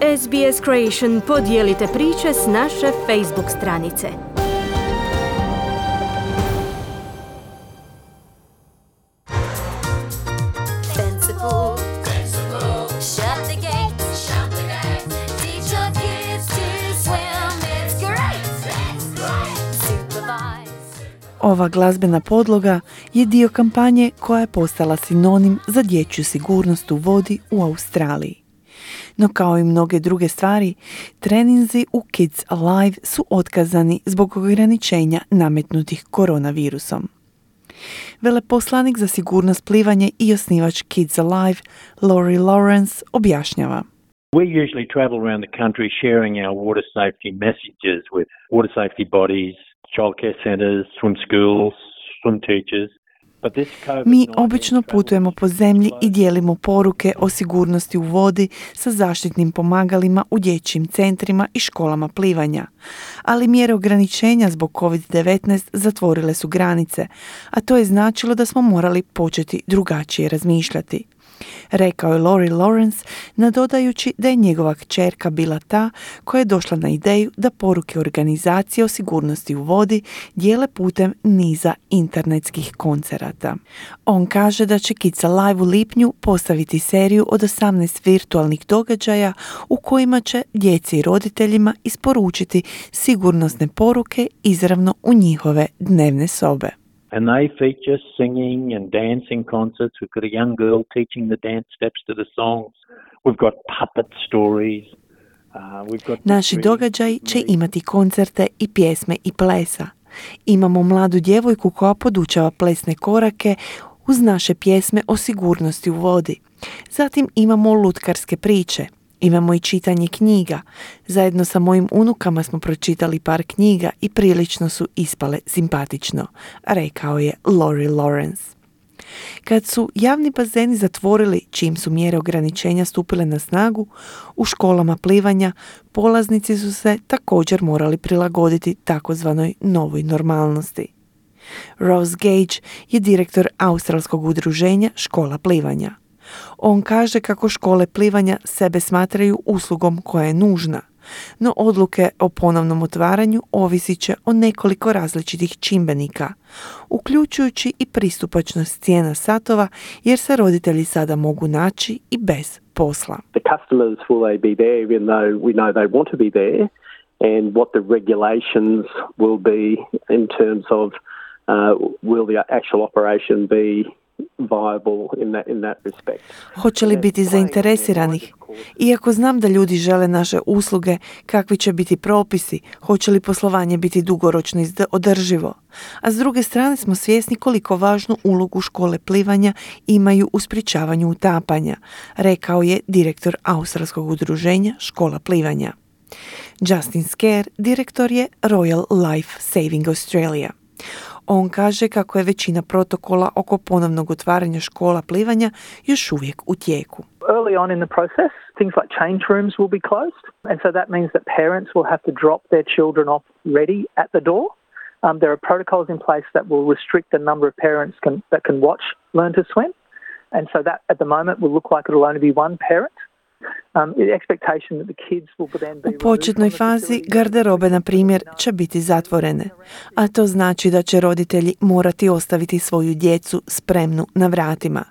SBS Creation podijelite priče s naše Facebook stranice. Ova glazbena podloga je dio kampanje koja je postala sinonim za dječju sigurnost u vodi u Australiji. No kao i mnoge druge stvari, treninzi u Kids Alive su otkazani zbog ograničenja nametnutih koronavirusom. Veleposlanik za sigurnost plivanja i osnivač Kids Alive, Laurie Lawrence, objašnjava. We usually travel around the country sharing our water safety messages with water safety bodies, childcare centres, swim schools, swim teachers. Mi obično putujemo po zemlji i dijelimo poruke o sigurnosti u vodi sa zaštitnim pomagalima u dječjim centrima i školama plivanja. Ali mjere ograničenja zbog COVID-19 zatvorile su granice, a to je značilo da smo morali početi drugačije razmišljati. Rekao je Laurie Lawrence, nadodajući da je njegova kćerka bila ta koja je došla na ideju da poruke organizacije o sigurnosti u vodi dijele putem niza internetskih koncerata. On kaže da će Kids Alive u lipnju postaviti seriju od 18 virtualnih događaja u kojima će djeci i roditeljima isporučiti sigurnosne poruke izravno u njihove dnevne sobe. And they feature singing and dancing concerts. We've got a young girl teaching the dance steps to the songs. We've got puppet stories. Naši događaji će imati koncerte i pjesme i plesa. Imamo mladu djevojku koja podučava plesne korake uz naše pjesme o sigurnosti u vodi. Zatim imamo lutkarske priče. Imamo i čitanje knjiga. Zajedno sa mojim unukama smo pročitali par knjiga i prilično su ispale simpatično, rekao je Laurie Lawrence. Kad su javni bazeni zatvorili čim su mjere ograničenja stupile na snagu, u školama plivanja polaznici su se također morali prilagoditi takozvanoj novoj normalnosti. Ross Gage je direktor australskog udruženja škola plivanja. On kaže kako škole plivanja sebe smatraju uslugom koja je nužna, no odluke o ponovnom otvaranju ovisit će o nekoliko različitih čimbenika, uključujući i pristupačnost cijena satova jer se roditelji sada mogu naći i bez posla. The customers, will they be there even though we know they want to be there, and what the regulations will be in terms of will the actual operation be viable in that respect. Hoće li biti zainteresiranih? Iako znam da ljudi žele naše usluge, kakvi će biti propisi, hoće li poslovanje biti dugoročno održivo? A s druge strane smo svjesni koliko važnu ulogu škole plivanja imaju u sprječavanju utapanja, rekao je direktor australskog udruženja škola plivanja. Justin Scare, direktor je Royal Life Saving Australia. On kaže kako je većina protokola oko ponovnog otvaranja škola plivanja još uvijek u tijeku. Early on in the process, things like change rooms will be closed, and so that means that parents will have to drop their children off ready at the door. There are protocols in place that will restrict the number of parents that can watch Learn to Swim, and so that at the moment will look like it will only be one parent. U početnoj fazi garderobe, na primjer, će biti zatvorene, a to znači da će roditelji morati ostaviti svoju djecu spremnu na vratima.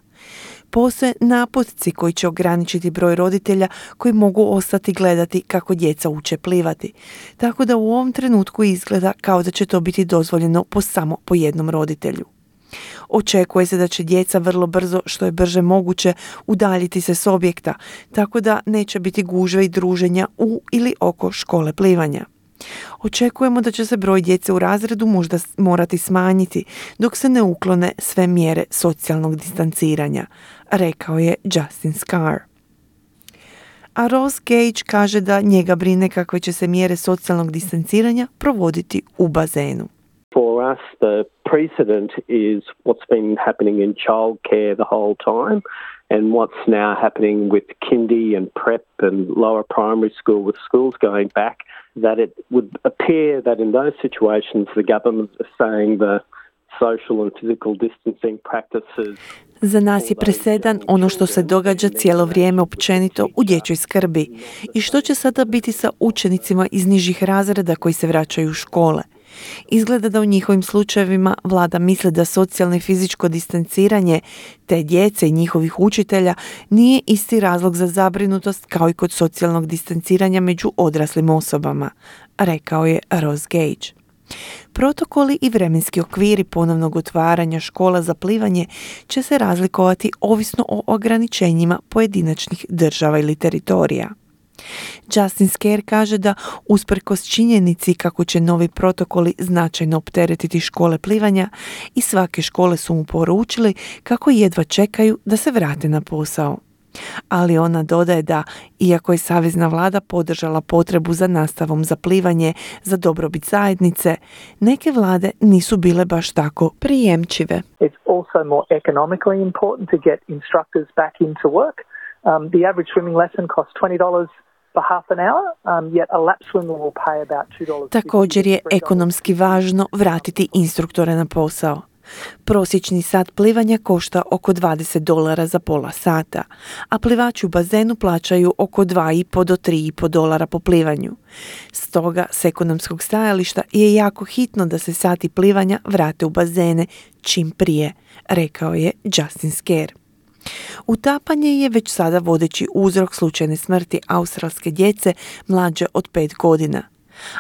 Postoje naputci koji će ograničiti broj roditelja koji mogu ostati gledati kako djeca uče plivati, tako da u ovom trenutku izgleda kao da će to biti dozvoljeno samo po jednom roditelju. Očekuje se da će djeca vrlo brzo, što je brže moguće, udaljiti se s objekta, tako da neće biti gužve i druženja u ili oko škole plivanja. Očekujemo da će se broj djece u razredu možda morati smanjiti dok se ne uklone sve mjere socijalnog distanciranja, rekao je Justin Scare. A Ross Gage kaže da njega brine kakve će se mjere socijalnog distanciranja provoditi u bazenu. For us, the precedent is what's been happening in childcare the whole time and what's now happening with kindy and prep and lower primary school with schools going back, that it would appear that in those situations the government is saying the social and physical distancing practices. Za nas je presedan ono što se događa cijelo vrijeme općenito u dječjoj skrbi. I što će sada biti sa učenicima iz nižih razreda koji se vraćaju u škole? Izgleda da u njihovim slučajevima vlada misli da socijalno i fizičko distanciranje te djece i njihovih učitelja nije isti razlog za zabrinutost kao i kod socijalnog distanciranja među odraslim osobama, rekao je Ross Gage. Protokoli i vremenski okviri ponovnog otvaranja škola za plivanje će se razlikovati ovisno o ograničenjima pojedinačnih država ili teritorija. Justin Scare kaže da usprkos činjenici kako će novi protokoli značajno opteretiti škole plivanja i svake škole su mu poručili kako jedva čekaju da se vrate na posao. Ali ona dodaje da, iako je savezna vlada podržala potrebu za nastavom za plivanje za dobrobit zajednice, neke vlade nisu bile baš tako prijemčive. It's also more economically important to get instructors back into work. The average swimming lesson costs $20 for half an hour, yet a lap swimmer will pay about $2. Također je ekonomski važno vratiti instruktore na posao. Prosječni sat plivanja košta oko $20 za pola sata, a plivači u bazenu plaćaju oko $2,5 do $3,5 po plivanju. Stoga, s ekonomskog stajališta je jako hitno da se sati plivanja vrate u bazene čim prije, rekao je Justin Scare. Utapanje je već sada vodeći uzrok slučajne smrti australske djece mlađe od 5 godina.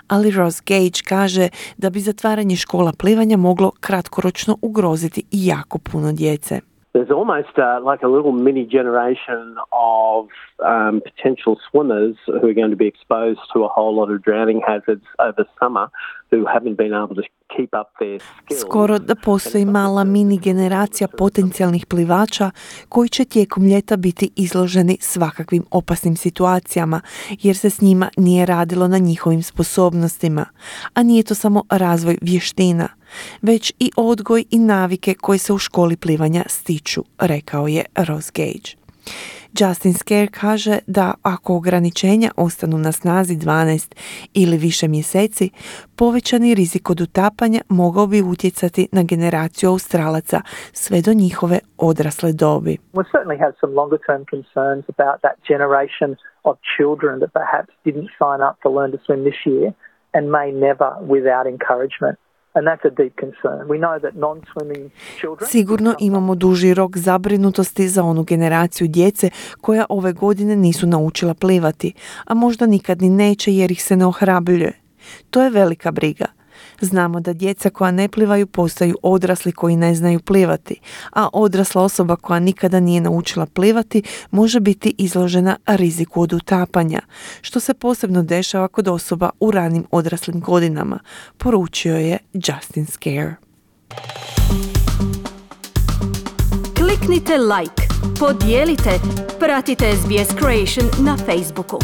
Ali Ross Gage kaže da bi zatvaranje škola plivanja moglo kratkoročno ugroziti i jako puno djece. There's almost like a little mini generation of potential swimmers who are going to be exposed to a whole lot of drowning hazards over summer who haven't been able to keep up their skills. Skoro da postoji mala mini generacija potencijalnih plivača koji će tijekom ljeta biti izloženi svakakvim opasnim situacijama jer se s njima nije radilo na njihovim sposobnostima, a nije to samo razvoj vještina, već i odgoj i navike koje se u školi plivanja stiču, rekao je Ross Gage. Justin Scare kaže da ako ograničenja ostanu na snazi 12 ili više mjeseci, povećani rizik od utapanja mogao bi utjecati na generaciju Australaca sve do njihove odrasle dobi. We certainly have some longer term concerns about that generation of children that perhaps didn't sign up to learn to swim this year and may never without encouragement. And that's a deep concern. We know that non-swimming children... Sigurno imamo duži rok zabrinutosti za onu generaciju djece koja ove godine nisu naučila plivati, a možda nikad ni neće jer ih se ne ohrabruje. To je velika briga. Znamo da djeca koja ne plivaju postaju odrasli koji ne znaju plivati, a odrasla osoba koja nikada nije naučila plivati može biti izložena riziku od utapanja, što se posebno dešava kod osoba u ranim odraslim godinama, poručio je Justin Scare. Kliknite like, podijelite, pratite SBS Creation na Facebooku.